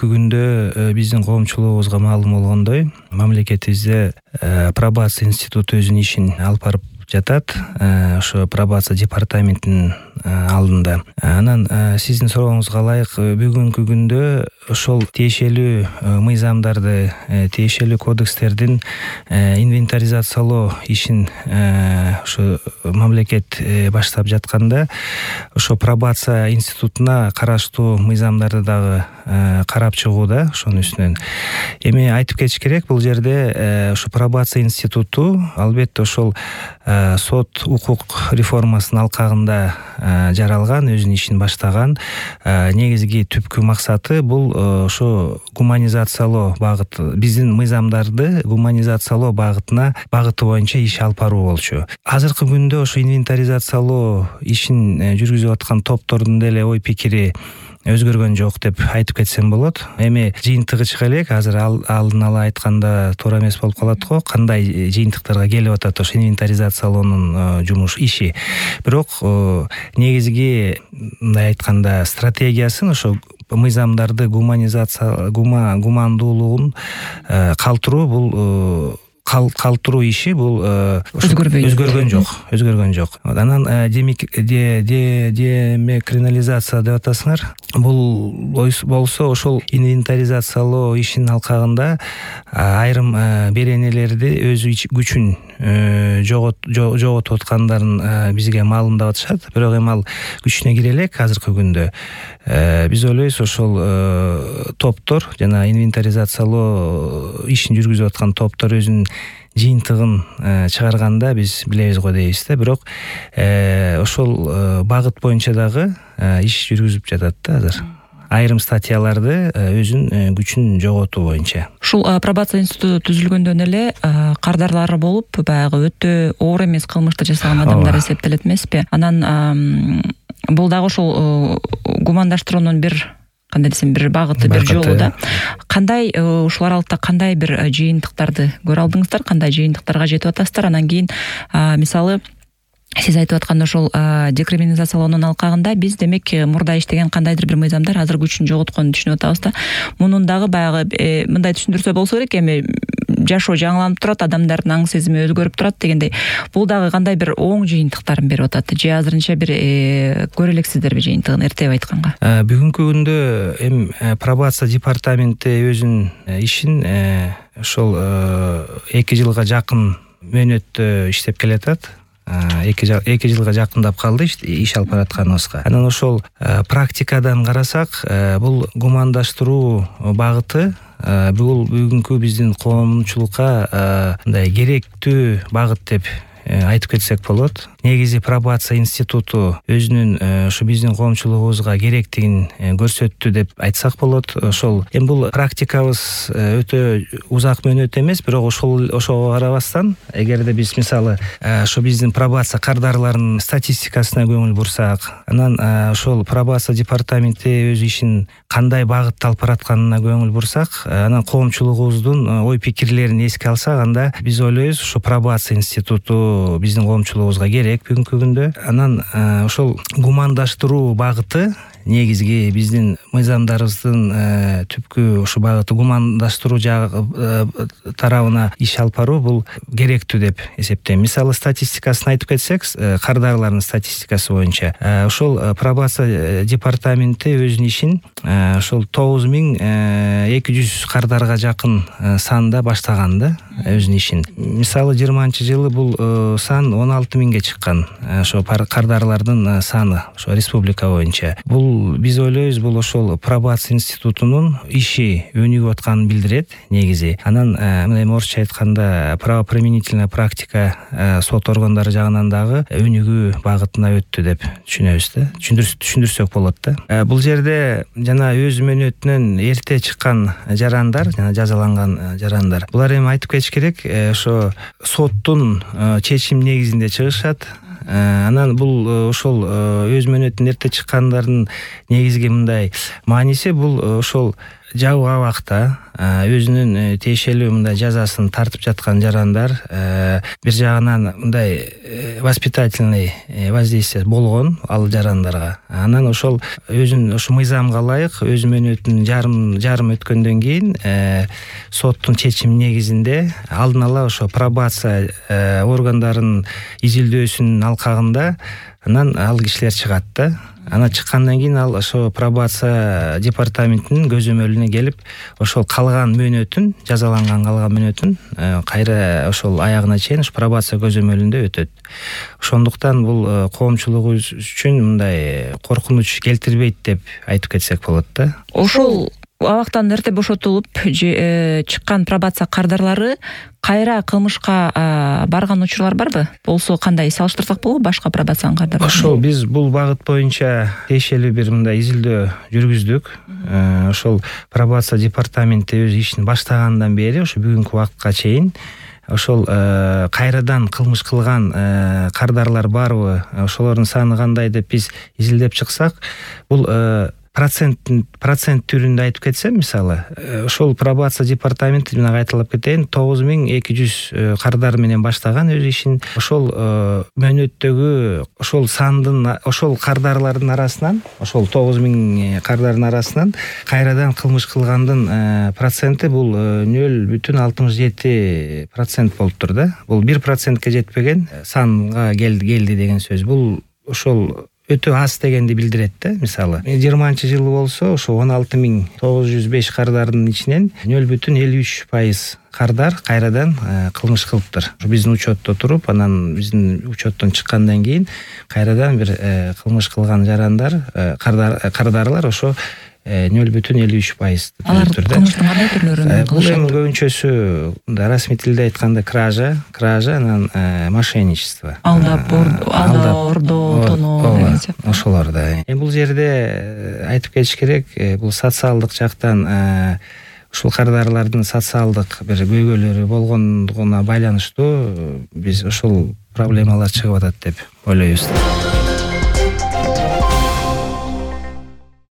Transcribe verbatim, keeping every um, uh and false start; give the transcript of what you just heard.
бүгүнкү күндө биздин коомчулугубузга маалым болгондой, мамлекетибизде пробация институту өзүнүн ишин алып барып жатат. Ошо пробация департаментинин алдында. Анан сиздин сурооңузга ылайык, бүгүнкү күндө ошол тиешелүү мыйзамдарды, тиешелүү кодекстердин инвентаризациялоо ишин ошо мамлекет баштап жатканда, ошо пробация институтуна караштуу мыйзамдарды дагы карап чыгууда ошонун үстүнөн. Эми айтып кетиш керек, бул жерде ошо пробация институту албетте ошол сот укук реформасынын алкагында жаралган, өзүнүн ишин баштаган. Негизги түпкү максаты бул ошо гуманизациялоо багыт, биздин мыйзамдарды гуманизациялоо багытына багыты боюнча иш алып баруу болчу. Азыркы күндө ошо инвентаризациялоо ишин жүргүзүп аткан топтордун деле ой пикири өзгөргөн жок деп айтып кетсем болот. Эми жыйынтыгы чыга элек, азыр алдын ала айтканда туура эмес болуп калат го, кандай жыйынтыктарга келип атат ошо инвентаризациялоонун жумуш иши. Бирок негизги мындай айтканда стратегиясын ошо мыйзамдарды гуманизация гумандуулугун калтыруу, бул калтыруу иши бул өзгөргөн жок, өзгөргөн жок. Анан демекринализация деп атасыңар. Бул болсо ошол инвентаризациялоо ишинин алкагында айрым беренелерди өз күчүн жоготуп аткандарын бизге маалымдап атышат. Бирок эми ал күчүнө кире элек азыркы күндө. Биз ойлойбуз, ошол топтор жана инвентаризациялоо ишин жүргүзүп аткан топтор өзүнүн жыйынтыгын чыгарганда биз билебиз го дейбиз да. Бирок ошол багыт боюнча дагы иш жүргүзүп жатат да азыр. Айрым статьяларды өзүнүн күчүн жоготуу боюнча. Ушул пробация институту түзүлгөндөн эле кардарлары болуп, баягы өтө оор эмес кылмышты жасаган адамдар эсептелет эмеспи? Анан бул дагы ошол гумандаштыруунун бир, кандай десем, бир багыты, бир жолу да. Кандай ушул аралыкта кандай бир жыйынтыктарды көрө алдыңыздар, кандай жыйынтыктарга жетип атасыздар? Анан кийин мисалы сиз айтып аткан ошол декриминализациялоонун алкагында биз демек мурда иштеген кандайдыр бир мыйзамдар азыр күчүн жоготконун түшүнүп атабыз да. Мунун дагы баягы мындай түшүндүрсө болсо керек, эми жашоо жаңыланып турат, адамдардын аң сезими өзгөрүп турат дегендей. Бул дагы кандай бир оң жыйынтыктарын берип атат? Же азырынча бир көрө элексиздерби жыйынтыгын, эртеп айтканга? Бүгүнкү күндө эми пробация департаменти өзүнүн ишин ошол эки жылга жакын мөөнөттө иштеп келатат. эки жылга жакындап калды иш алып баратканыбызга. Анан ошол практикадан карасак, бул гумандаштыруу багыты бул бүгүнкү биздин коомчулукка мындай керектүү багыт деп айтып кетсек болот. Негизи пробация институту өзүнүн ушу биздин коомчулугубузга керектигин көрсөттү деп айтсак болот. Ошол эми бул практикабыз өтө узак мөөнөт эмес, бирок ошол ошого карабастан, эгерде биз мисалы ошо биздин пробация кардарларынын статистикасына көңүл бурсак, анан ошол пробация департаменти өз ишин кандай багытта алып баратканына көңүл бурсак, анан коомчулугубуздун ой пикирлерин эске алсак, анда биз ойлойбуз, ошо пробация институту биздин коомчулугубузга керек бүгүнкү күндө. Анан ошол гумандаштыруу багыты негизги биздин мыйзамдарыбыздын түпкү ушу багыты гумандаштыруу тарабына иш алып баруу бул керектүү деп эсептейм. Мисалы статистикасын айтып кетсек, кардарлардын статистикасы боюнча ошол пробация департаменти өзүнүн ишин ошол тогуз миң эки жүз кардарга жакын санда баштаган да өзүнүн ишин. Мисалы жыйырманчы жылы бул сан он алты миңге чыккан, ошо кардарлардын саны ошо республика боюнча. Бул биз ойлойбуз, бул ошол пробация институтунун иши өнүгүп атканын билдирет негизи. Анан мындай орусча айтканда правоприменительная практика сот органдары жагынан дагы өнүгүү багытына өттү деп түшүнөбүз да. Түшүндүрсөк болот да. Бул жерде жана өз мөөнөтүнөн эрте чыккан жарандар, жана жазаланган жарандар. Булар эми айтып кетиш керек, ошо соттун чечим негизинде чыгышат. Анан бул ошол өз мөөнөтүнөн эрте чыккандардын негизги мындай мааниси, бул ошол жабык абакта өзүнүн тиешелүү мындай жазасын тартып жаткан жарандар бир жагынан мындай воспитательный воздействие болгон ал жарандарга. Анан ошол өзүнүн ошо мыйзамга ылайык өз мөөнөтүн жарым жарым өткөндөн кийин соттун чечими негизинде алдын ала ошо пробация органдарынын изилдөөсүнүн алкагында анан ал кишилер чыгат да. Ана чыккандан кийин ал ошо пробация департаментинин көзөмөлүнө келип, ошол калган мөөнөтүн, жазаланган калган мөөнөтүн кайра ошол аягына чейин ушу пробация көзөмөлүндө өтөт. Ошондуктан бул коомчулук үчүн мындай коркунуч келтирбейт деп айтып кетсек болот да. Ошол абактан эрте бошотулуп чыккан пробация кардарлары кайра кылмышка барган учурлар барбы? Болсо кандай салыштырсак болобу башка пробациянын кардарлары? Ошол биз бул багыт боюнча тиешелүү бир мындай изилдөө жүргүздүк. Ошол пробация департаменти өз ишин баштагандан бери ошо бүгүнкү убакытка чейин ошол кайрадан кылмыш кылган кардарлар барбы, ошолордун саны кандай деп биз изилдеп чыксак, бул процент процент түрүндө айтып кетсем, мисалы, ошол пробация департаменти мына кайталап кетейин, тогуз миң эки жүз кардар менен баштаган өз ишин. Ошол мөөнөттөгү ошол сандын, ошол кардарлардын арасынан, ошол тогуз миң кардардын арасынан кайрадан кылмыш кылгандын проценти бул нөл бүтүн алтымыш жети процент болуптур да. Бул бир процентке жетпеген санга келди келди деген сөз. Бул ошол өтө аз дегенди билдирет да. Мисалы, жыйырманчы жылы болсо ошо он алты миң тогуз жүз беш кардардын ичинен нөл бүтүн элүү үч пайыз кардар кайрадан кылмыш кылыптыр. Биздин учетто туруп, анан биздин учеттон чыккандан кийин кайрадан бир кылмыш кылган жарандар, кардарлар ошо нөл бүтүн элүү үч пайыз. Алар кылмыштын кандай түрлөрүн кылышат? Бул эми көбүнчөсү расмий тилде айтканда кража, кража, анан мошенничество. Алдап, ордоо, тоноо. Ошолор да. Эми бул жерде айтып кетиш керек, бул социалдык жактан ушул кардарлардын социалдык бир көйгөйлөрү болгондугуна байланыштуу биз ошол проблемалар чыгып атат деп ойлойбуз.